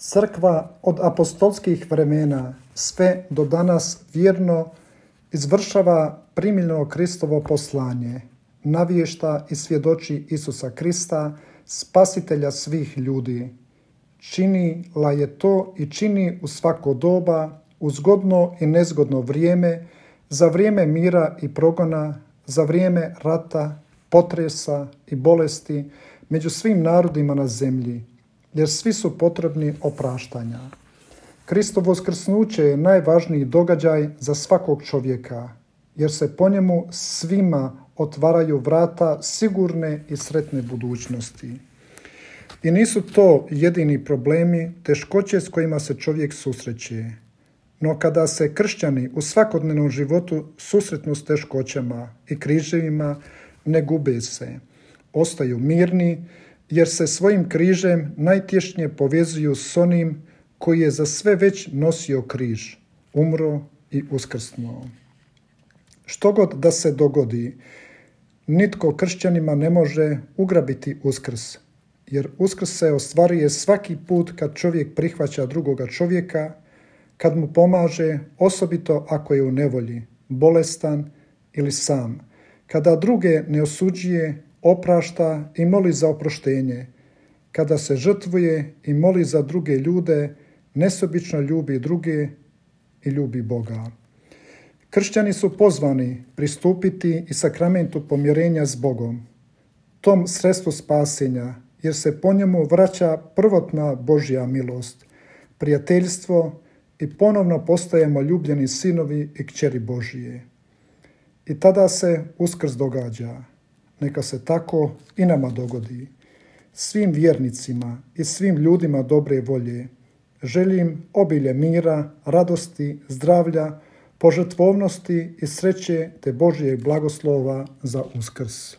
Crkva od apostolskih vremena sve do danas vjerno izvršava primljeno Kristovo poslanje, navješta i svjedoči Isusa Krista, spasitelja svih ljudi. Činila je to i čini u svako doba, u zgodno i nezgodno vrijeme, za vrijeme mira i progona, za vrijeme rata, potresa i bolesti među svim narodima na zemlji, jer svi su potrebni opraštanja. Kristovo uskrsnuće je najvažniji događaj za svakog čovjeka, jer se po njemu svima otvaraju vrata sigurne i sretne budućnosti. I nisu to jedini problemi, teškoće s kojima se čovjek susreće. No kada se kršćani u svakodnevnom životu susretnu s teškoćama i križevima, ne gube se. Ostaju mirni, jer se svojim križem najtješnje povezuju s onim koji je za sve već nosio križ, umro i uskrsnuo. Što god da se dogodi, nitko kršćanima ne može ugrabiti uskrs, jer uskrs se ostvaruje svaki put kad čovjek prihvaća drugoga čovjeka, kad mu pomaže, osobito ako je u nevolji, bolestan ili sam, kada druge ne osuđuje, oprašta i moli za oproštenje, kada se žrtvuje i moli za druge ljude, nesebično ljubi druge i ljubi Boga. Kršćani su pozvani pristupiti i sakramentu pomirenja s Bogom, tom sredstvu spasenja, jer se po njemu vraća prvotna Božja milost, prijateljstvo i ponovno postajemo ljubljeni sinovi i kćeri Božije. I tada se uskrs događa. Neka se tako i nama dogodi. Svim vjernicima i svim ljudima dobre volje želim obilje mira, radosti, zdravlja, požrtvovnosti i sreće te Božjeg blagoslova za Uskrs.